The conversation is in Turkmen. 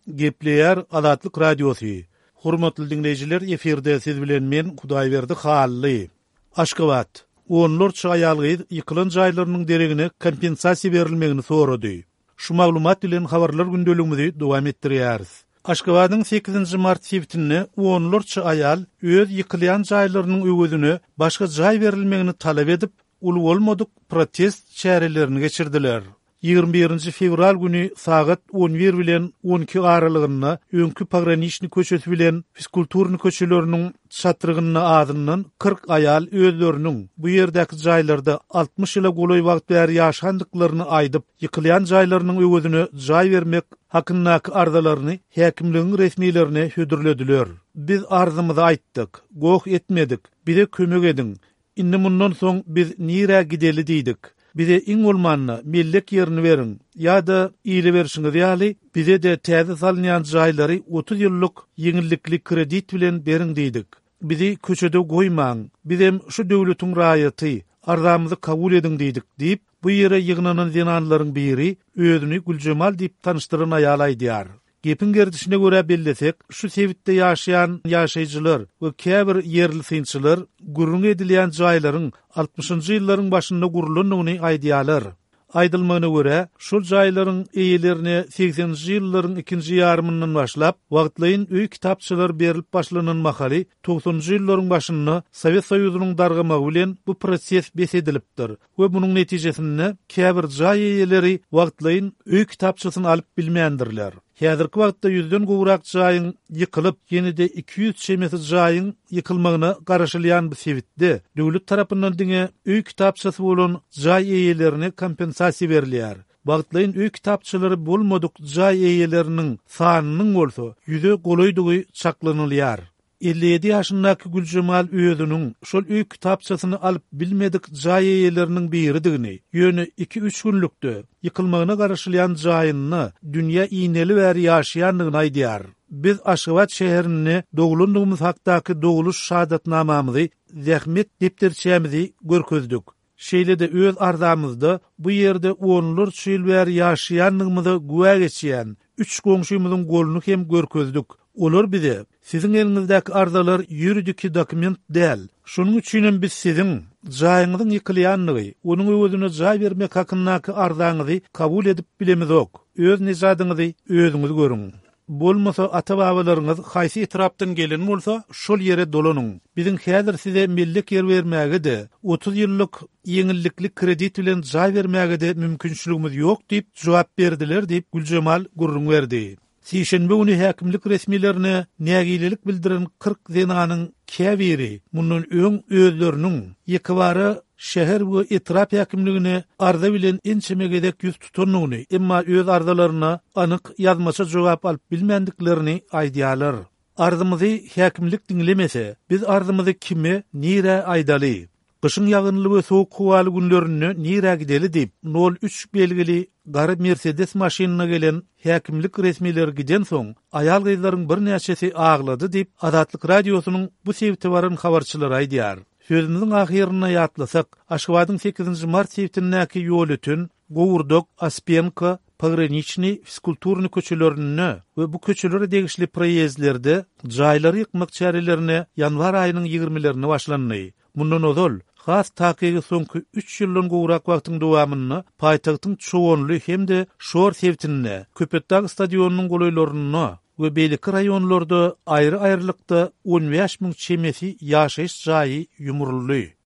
Gepleýär Azatlyk Radiosy. Hormatly diňleýjiler, efirde siz bilen men Hudaýberdi Hally. Aşgabat. Onlarça aýal-gyz ýykylan jaýlarynyň deregine kompensasiýa berilmegini sorady. Şu maglumat bilen habarlar gündeligimizi dowam etdirýäris. Aşgabadyň sekizinji mart sebitinde onlarça aýal öz ýykylýan jaýlarynyň öwezine başga jaý berilmegini talap edip, uly bolmadyk protest çärelerini geçirdiler. 21-nji fewral güni sagat 11 bilen 12 aralygynda öňki Pograniçnyý köçesi bilen Fizkulturnyý köçeleriniň çatrygynda azyndan 40 aýal özleriniň bu ýerdäki jaýlarda 60 ýyla golaý wagt bäri ýaşandyklaryny aýdyp, ýykylýan jaýlarynyň öwezine jaý bermek hakyndaky arzalaryny häkimligiň resmilerine hödürlediler. Biz arzymyzy aýtdyk, goh etmedik, bize kömek ediň, Indi mundan soň biz nirä gideli diýdik. Bize iň bolmanda mellek ýerini beriň ýa-da ile berşiňiz ýaly bize-de täze salynýan jaýlary 30 ýyllyk ýeňillikli kredit bilen beriň diýdik. Bizi köçede goýmaň, bizem şu döwletiň raýaty, arzamyzy kabul ediň diýdik diýip, bu ýere ýygnanan zenanlaryň biri, özüni Güljemal diýip tanyşdyran aýal aýdýar. Gepiň gerdişine görä bellesek, şu sebitde ýaşaýan ýaşaýjylar we käbir ýerli synçylar gürrüňi edilýän jaýlaryň altmyşynjy ýyllaryň başynda gurlandygyny aýdýarlar. Aýdylmagyna görä, şol jaýlaryň eýelerine segseninji ýyllaryň ikinji ýarymyndan başlap, wagtlaýyn öý kitapçalary berlip başlanan mahaly, togsanynjy ýyllaryň başynda Sowet Soýuzynyň dargamagy bilen bu proses bes edilipdir we munuň netijesinde käbir jaý eýeleri wagtlaýyn öý kitapçasyny alyp bilmändirler. Häzirki wagtda ýüzden gowrak jaýyň ýykylyp, ýene-de 200 çemesi jaýyň ýykylmagyna garaşylýan bu sebitde döwlet tarapyndan diňe öý kitapçasy bolan jaý eýelerine kompensasiýa berilýär. Wagtlaýyn öý kitapçalary bolmadyk jaý eýeleriniň sanynyň bolsa ýüze golaýdygy çaklanylýar. 57 ýaşyndaky Güljemal özüniň şol öý kitapçasyny alyp bilmedik jaý eýeleriniň biridigini, ýöne iki-üç günlükde ýykylmagyna garaşylýan jaýynda dünýä ineli bäri ýaşaýandygyny aýdýar. Biz Aşgabat şäherinde doglandygymyz hakdaky dogluş şahadatnamamyzy, zähmet depderçämizi görkezdik. Şeýle-de öz arzamyzda bu ýerde onlarça ýyl bäri ýaşaýandygymyza güwä geçýän üç goňşymyzyň goluny hem görkezdik. Olar bize, Siziň eliňizdäki arzalar ýuridiki dokument däl. Şonuň üçinem biz siziň jaýyňyzyň ýykylýandygy, onuň öwezine jaý bermek hakyndaky arzaňyzy kabul edip bilemizok. Öz nejadyňyzy özüňiz görüň. Bolmasa ata-babalaryňyz haýsy etrapdan gelen bolsa, şol ýere dolanyň. Biziň häzir size mellek ýer bermäge-de, 30 ýyllyk ýeňillikli kredit bilen jaý bermäge-de mümkinçiligimiz ýok diýip jogap berdiler diýip, Güljemal gürrüň berdi. Sişenbe güni häkimlik resmilerine nägilelik bildiren 40 zenanyň käbiri mundan öň özleriniň ýekebara şäher we etrap häkimligine arza bilen ençeme gezek ýüz tutandygyny, emma öz arzalaryna anyk ýazmaça jogap alyp bilmändiklerini aýdýarlar. Arzymyzy häkimlik diňlemese, biz arzymyzy kime, nirä aýdaly? Gyşyň ýagynly we sowuk howaly günlerinde nirä gideli diýip, nol üç belgili gara Mersedes maşynynda gelen häkimlik resmileri gidensoň, aýal-gyzlaryň birnäçesi aglady diýip, Azatlyk Radiosynyň bu sebite baran habarçylary aýdýar. Sözümiziň ahyrynda ýatlasak, Aşgabadyň sekizinji mart sebitindäki Ýolöten, Gowurdak, Ospenko, Pograniçnyý, Fizkulturnyý köçelerinde we bu köçelere degişli proýezdlerde jaýlary ýykmak çärelerine ýanwar aýynyň ýigrimelerinde başlandy. Mundan ozal, has takygy soňky üç ýyldan gowrak wagtyň dowamynda paýtagtyň Çoganly hem-de Şor sebitinde, Köpetdag stadionynyň golaýlarynda we beýleki raýonlarda aýry-aýrylykda 15 müň çemesi ýaşaýyş jaýy ýumruldy.